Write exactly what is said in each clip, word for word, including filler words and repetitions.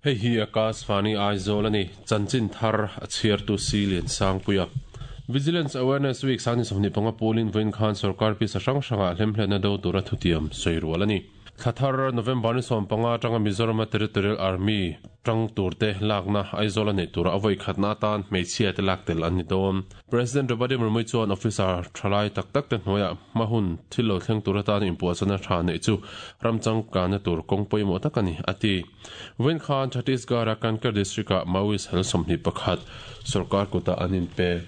Hei hi Akashvani Aizawl ani chanchin thar a chhiartu si lian sangpuia Vigilance Awareness Week sani sawmhnih panga pawlin vawiin khan sarkar pisa hrang hrangah hlemhletna do tura thutiam sawi rual ani. Thlathar November ni sawm panga atanga Mizoram Territorial Army tang turte lakna Aizawl nei tura avoi khatna tan hmeichhia te lak tel an ni dawn. President Draupadi Murmu chuan officer thalai tak tak te hnuaiah hmahun thil lo thleng tura tan inpuahchana tha nei chu ramchang kana tur kawng pawimawh tak ani ati. Vawiin khan Chhattisgarh Kanker district ah Maoist hel sawmhnih pakhat sarkar kuta an inpe.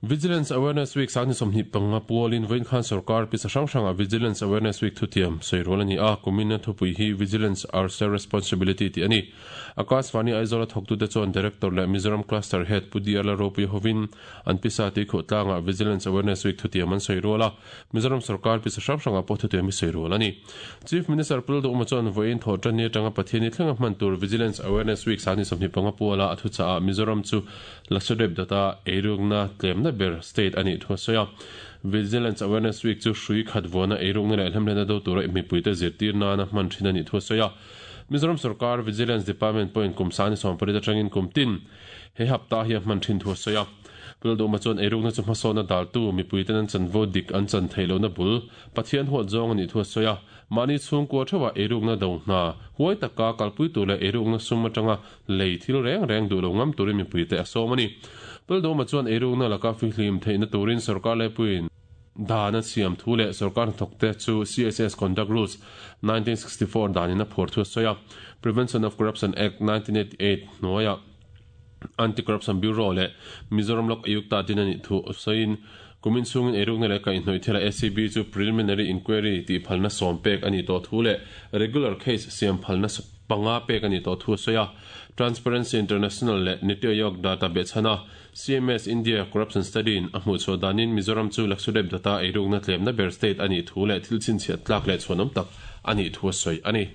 Vigilance Awareness Week sani sawmhnih panga pawlin vawiin khan sarkar pisa hrang hrangah Vigilance Awareness Week thutiam sawi rual ani a. Kumina thupui hi Vigilance Our Shared Responsibility ti ani. Akashvani Aizawl thawktute chuan Director leh Mizoram Cluster Head Pu D R Lalropui hovin an pisa ti khuh tlangah Vigilance Awareness Week thutiam an sawi rual a. Mizoram sarkar pisa hrang hrangah pawh thutiam hi sawi rual ani. Chief Minister Pu Lalduhuma chuan vawiin thawh tan ni atanga Pathian thlenga hman tur Vigilance Awareness Week sani sawmhnih panga pawla a thuchah Mizoram chu Lakshadweep data eirukna tlemna ber state ani thu soya. Vigilance Awareness Week chu hrui khat vona eirukna leh hlemhlena do tura mipuite zirtir nana hman thin ani thu soya. Mizoram Sarkar Vigilance Department point kum sani sawmpari atangin kum tin he hapta hi hman thin thu soya. Pu Lalduhuma chuan eirukna chu hmasawna daltu mipuite an chanvo dik an chan theilo na bul Pathian huat zawng ani thu soya. Mani chhungkua thewa eirukna do hna huai taka kalpui tu leh eirukna sum atanga lei thil reng reng du lo ngam turin mipuite a sawm ani. Pu Lalduhuma chuan eirukna laka fihlim theihna turin sarkar laipuiin dana siam thu leh sarkar thawkte chu C S S Conduct Rules nineteen sixty-four danin a phur thu soya. Prevention of Corruption Act nineteen eighty-eight hnuaiah Anti-Corruption Bureau leh Mizoram Lok Ayukta tin ani thu soin kumin chungin eirukna leh kaihhnawih thila A C B chu preliminary inquiry tih phalna sawm pek ani tawh thu leh regular case siam phalna panga pek ani tawh thu soya. Transparency International leh Niti Aayog data behchhana C M S India Corruption Study in a hmuh chhuah danin Mizoram chu Lakshadweep data eirukna tlemna ber state ani thu leh thil chhinchhiat tlak leh chhuanawm tak ani thu sawi ani.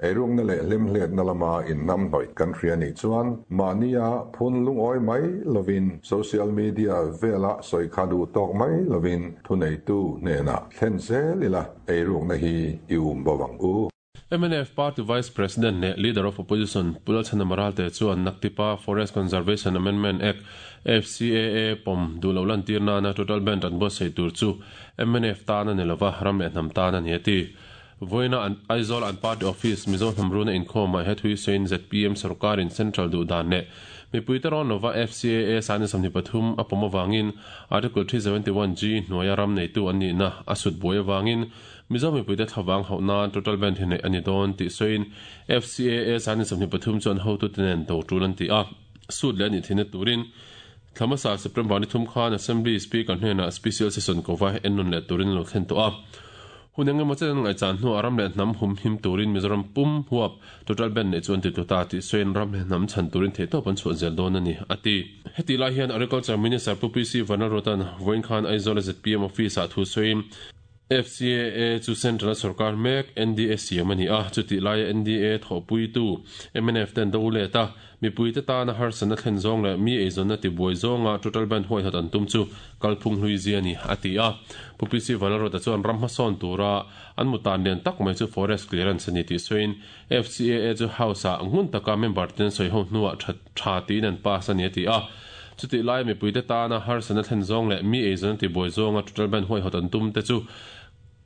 Eirukna leh hlemhletna lama in hnam hnawih kan hria ni chuan mahnia phun lungawi mai lovin social media vela sawi kha duh tawk mai lovin thuneitu hnenah thlen zel ila eirukna hi i um bawang u. M N F Party Vice President leh Leader of Opposition Pu Lalchhana Maralte chuan Naktipa Forest Conservation Amendment Act F C A A pawm duh lo lantir nana total ban an buatsaih tur chu M N F tan ani lova ram leh hnam tan ani ati. Vawiina an Aizawl an party office Mizo hnamruna inkhawmah he thui sawiin Z P M sarkarin Central duh dan leh mipuite rawn lova F C A A sani sawmhnih pathum a pawm awangin Article three seventy-one G hnuaia ram neitu an nihna a sut buai awangin Mizo mipuite thlavang hauh nan total ban hi nei ani dawn tih sawiin F C A A sani sawmhnih pathum chuan hotu te nen do tul an ti a. Sut leh ani thina turin Thlamasa September ni thum khan Assembly Speaker hnenah Special Session kova ennun leh turin lo thlen tawh a. Huneng emaw chen ngai chan hnu aram leh hnam hum him turin Mizoram pum huap total ban nei chuan ti tuta ti sawiin ram leh hnam chhan turin theih tawp an chhuah zel dawn ani ati. Heti lai hian Agriculture Minister Pu P C Vanlalruata'n vawiin khan Aizawl Z P M office ah thu sawiin F C A A chu Central Sarkar mek N D A siam ani a. Chuti laia N D A thawhpuitu M N F ten do let a mipuite tana harsana thlen zawng leh mi eizawnna ti buai zawnga total ban huai hat an tum chu kalphung hlui zia ani ati a. Pu P C Vanlalruata chuan ram hmasawn tura an mutan lian tak mai chu forest clearance ani tih sawiin F C A A chu house ah ngun taka member ten sawi ho hnuah tha tiin an pass ani ati a. Chuti lai mipuite tana harsana thlen zawng leh mi eizawnna ti buai zawnga total ban huai hat an tum te chu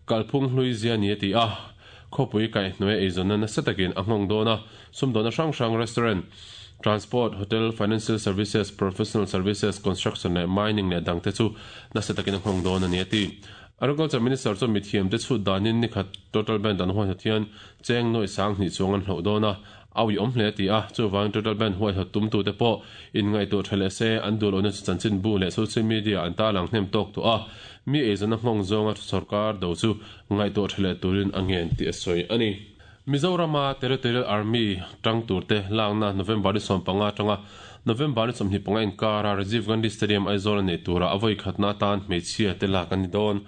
kalphung hlui zia ani ati a. Khawpui kaihhnuai eizawnna nasa takin a nghawng dawn a. Sumdawna hrang hrang restaurant, transport, hotel, financial services, professional services, construction leh mining leh dangte chu nasa takin a nghawng dawn ani ati. Agriculture Minister chu mithiam te chhut danin ni khat total ban dan huai hat hian cheng nawi sang hnih chuang an hloh dawn a. Awi awm hle ti a. Chuwang total ban huai hat tum tu te pawh in ngaihtuah tha leh se an duh lohna chu chanchin bu leh social media an tarlang hnem tawk tawh a. Mi eizawnna nghawng zawnga sarkar do chu ngaihtuah tha leh turin a ngen tih a sawi ani. Mizorama Territorial Army tang turte lakna November ni sawm panga atanga November ni sawmhnih panga inkara Rajiv Gandhi Stadium Aizawl nei tura avoi khatna tan hmeichhia te lak ani dawn.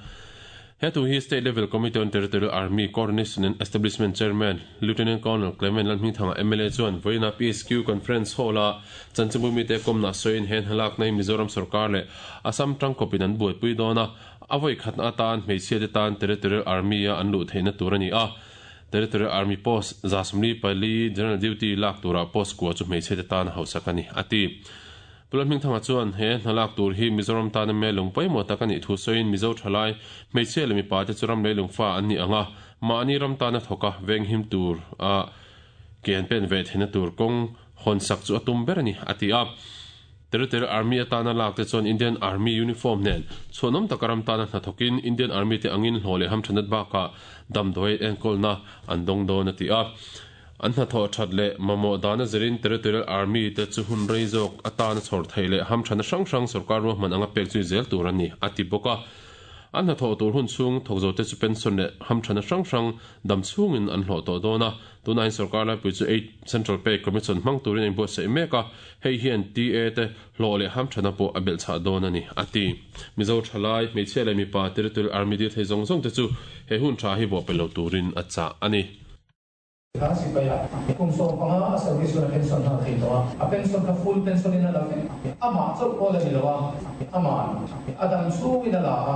He thu hi State Level Committee on Territorial Army Coordination and Establishment Chairman Lieutenant Colonel Clement Lalhmingthanga M L A chuan vawiina P S Q Conference Hall a chanchinbumi te kawmna sawiin hen halak nei Mizoram sarkar leh Assam tangkawpin an buaipui dawn a. Avoi khatna atan hmeichhia te tan Territorial Army a an luh theihna tur ani a. Territorial Army post za sawmli pali general duty lak tura post kua chu hmeichhe te tan hausak ani ati. Pu Lalhmingthanga chuan he hnalak tur hi Mizoram tana me lung pawimawh tak anih thu sawiin Mizo thalai hmeichhia leh mipa te chu ram leilung fa an ni anga mahni ram tana thawka venghim tur a ke an pen ve theihna tur kawng hawn sak chu a tum ber ani a ti a. Territorial Army atana lak te chuan Indian Army uniform nen chhuanawm taka ram tana hnathawkin Indian Army te angin hlawh leh hamthanat bakah damdawi enkawlna an dawng dawn a ti a. An hnathawh that leh mamawh dana zirin Territorial Army te chu hun rei zawk atana chhawr theih leh hamthana hrang hrang sarkar ruahman anga pek zui zel tur ani a ti bawk a. An hnathawh tur hun chhung thawk zo te chu pension leh hamthana hrang hrang dam chhungin an hlawh tawh dawn a. Tunah hian sarkar laipui chu eight Central Pay Commission hmang turin a inbuatsaih mek a, hei hian T A te hlawh leh hamthana pawh a belh chhah dawn ani a ti. Mizo thalai, hmeichhia leh mipa Territorial Army dil thei zawng zawng te chu he hun tha hi bawh pe lo turin a chah ani. Kha sipaia kum sawm panga a service hun a pension nghal thei tawh a, a pension kha full pension in a la vek. Amah chauh pawh la ni lo a, aman a dam chhungin a la a,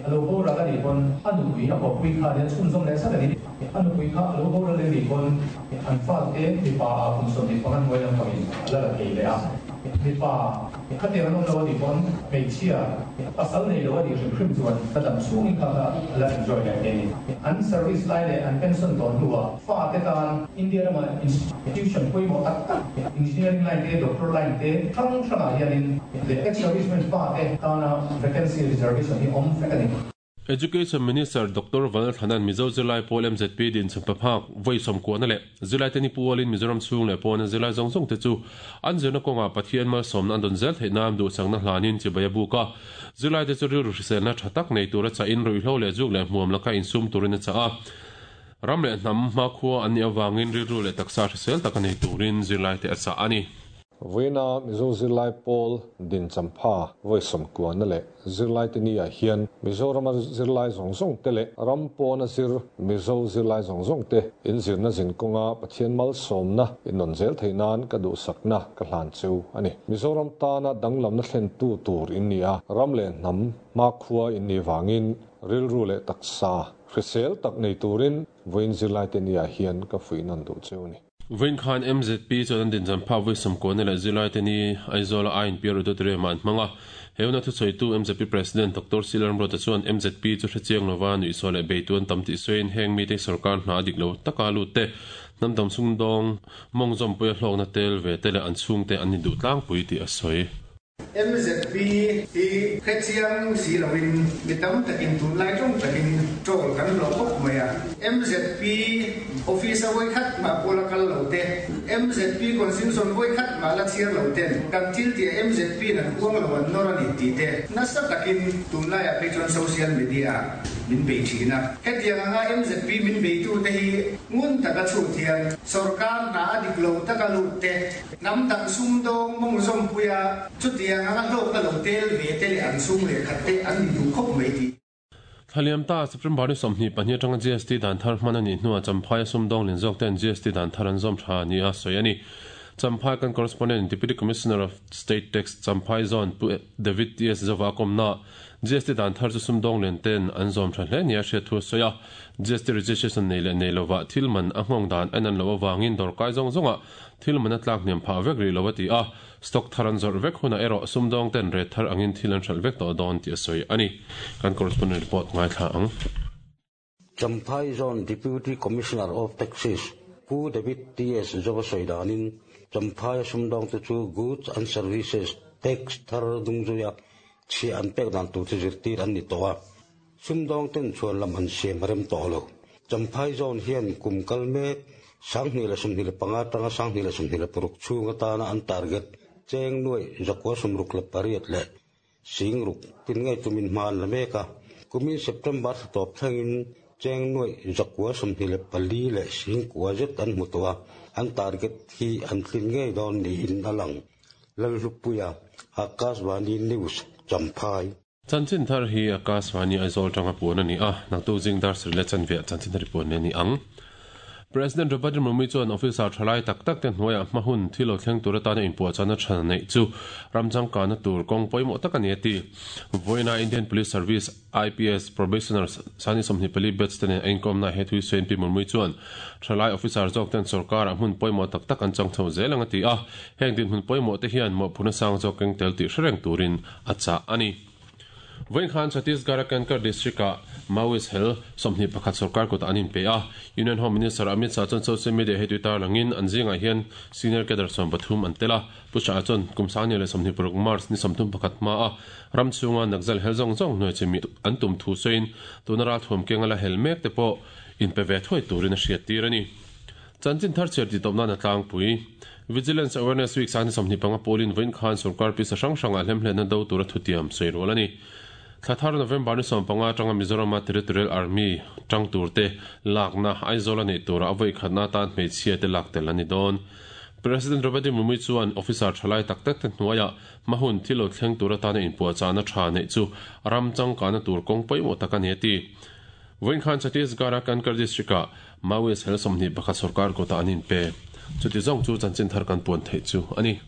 a lo boral a nih pawn a nupui a kawppui kha hian chhunzawm leh zat a ni. A nupui kha a lo boral a nih pawn an fate mipa ah kum sawmhnih panga hnuai lampangin a la la thei leh a. Mipa khatiang an awm lo a nih pawn hmeichhia pasal nei lo a nih hrim hrim chuan a dam chhungin kha kha a la enjoy leh thei a ni. An service lai leh an pension tawh hnuah fate tan India rama institution pawimawh tak tak engineering line te, doctor line te hrang hrangah hianin leh ex-servicemen fate tana vacancy reservation hi awm vek a ni. Education Minister Doctor Vanlalthanan Mizo Zirlai Pawl M Z P din chhun paphak vawi sawmkuahna leh zirlai te ni pualin Mizoram chhung leh pawna zirlai zawng zawng te chu an zirna kawngah Pathian malsawmna an dawn zel theih nan duhsakna hlanin chibai a buk a. Zirlai te chu rilru hriselna tha tak nei tura chahin ruihhlo leh zuk leh hmuam laka insum turin a chah a. Ram leh hnam hmakhua an nih avangin rilru leh taksa hrisel tak a nei turin zirlai te a chah a ni. Vawiina Mizo Zirlai Pawl din champha vawi sawmkuahna leh zirlai te ni ah hian Mizorama zirlai zawng zawng te leh ram pawna zir Mizo zirlai zawng zawng te in zirna zin kawnga Pathian malsawmna in nawn zel theih nan ka duhsakna ka hlan cheu a ni. Mizoram tana danglamna thlen tu tur in ni a, ram leh hnam hmakhua in ni vangin rilru leh taksa hrisel tak nei turin vawiin zirlai te ni ah hian ka fuih nawn duh cheu a ni. Vawiin khan M Z P chuan an din champha vawi sawmkuahna leh zirlai te ni Aizawl a I N P Auditorium ah an hmang a. He huna thusawitu M Z P President Doctor Silalramruata chuan M Z P chu hrechiang lova nuihsaw leh beitu an tam tih sawiin heng mite sarkar hna a dik lo taka lut te hnam dang chung dawng mawng zawmpuia hlawkna tel ve te leh an chhungte an ni duh tlangpui tih a sawi. M Z P hi hrechiang si loin mi tam takin tunlai tawng takin troll kan hlawh khawp mai a. M Z P office a vawi khat mah pawla kal lo te, M Z P constitution vawi khat mah la chhiar lo ten kan thil tih M Z P in an huang lo an nawr a ni tih te nasa takin tunlaiah phei chuan social media min bei thin a. Hetiang anga M Z P min beitu te hi ngun taka chhut hian sarkar hna a dik lo taka lut te, hnam dang sum dawng mawng zawmpuia chutiang anga hlawkna lo tel ve te leh an chhung leh khat te an ni duh khawp mai tih. Thaliam ta September ni sawmhnih pahnih atanga G S T dan thar hman a nih hnuah Champhai a sum dawng lin zawk ten G S T dan thar an zawm tha ni a sawi a ni. Champhai kan correspondent Deputy Commissioner of State Tax Champhai Zone Pu David T S Zova kawmna G S T dan thar chu sum dawng len ten an zawm tha hle ni a hriat thu a sawi a. G S T registration nei leh nei lova thil man a nghawng dan en an lo awangin dawrkai zawng zawnga thil man a tlak hniam phah vek ri lo a ti a. Stock thar an zawrh vek huna erawh sum dawng ten ret thar angin thil an hralh vek tawh dawn tih a sawi a ni. Kan correspondent report ngaithla ang. Champhai Zone Deputy Commissioner of Taxes Pu David T S Zova sawi danin Champhai sum dawng te chu Goods and Services Tax thar dungzuia chhia an pek dan tur chu zirtir an ni tawh a. Sum dawng ten chuan lam an siam rem tawh lo. Champhai Zone hian kum kal mek sanghnih leh sawmhnih leh panga tanga sanghnih leh sawmhnih leh paruk chhung atana an target cheng nuai zakua sawmruk leh pariat leh singruk tin ngei tumin hma an la mek a. Kumin September thla tawp thlengin cheng nuai zakua sawmhnih leh pali leh singkua zet an hmu tawh a. An target hi an tlin ngei dawn niin a lang. Lalhlupuia Akashvani News Champhai. Chanchin thar hi Akashvani Aizawl tanga puan ani a. Naktu jing dar sir le chanve chanchin thar puan ne ni ang. President Draupadi Murmu chuan officer thalai tak tak te hnuaiah hmahun thil lo thleng tur atana inpuahchahna tha neih chu ramchangkana tur kawng pawimawh tak a ni a ti. Vawiina Indian Police Service I P S Probationers sani sawmhnih pali batch te nen a inkawmna he thui sawiin Pi Murmu chuan thalai officer zawk ten sorkarah hmun pawimawh tak tak an chang chho zel ang a ti a. Heng dinhmun pawimawh te hian mawhphurhna sang zawk keng tel tih hrereng turin a chah a ni. Vawiin khan Chhattisgarh-a Kanker district-ah Maoist hel sawmhnih pakhat sorkar kutah an inpe a. Union Home Minister Amit Shah chuan social media hei tui tarlangin an zingah hian senior cadre sawm pathum an tel a. Pu Shah chuan kum sangni leh sawmhnih paruk March ni sawmthum pakhat hmaa ram chhunga Naxal hel zawng zawng hnuai chimi an tum thu sawiin tuna ralthuam kenga la hel mek te pawh inpe ve thuai turin a hriat tir a ni. Chanchin thar chhiar tih tawp nan a tlangpui. Vigilance Awareness Week sangni sawmhnih panga pawlin vawiin khan sorkar pisa hrang hrangah hlemhletna do tura thutiam sawi rual a ni. Thlathar November ni sawm panga atanga Mizorama Territorial Army tang turte lakna Aizawl a neih tura a vawi khatna atan hmeichhia te lak tel a ni dawn. President Draupadi Murmu chuan officer thalai tak tak te hnuaiah hmahun thil lo thleng tur atana inpuahchahna tha neih chu ram changkana tur kawng pawimawh tak a ni a ti. Vawiin khan Chhattisgarh-a Kanker district-ah Maoist hel sawmhnih pakhat sorkar kutah an inpe. Chuti zawng chu chanchin thar kan puan theih chu a ni.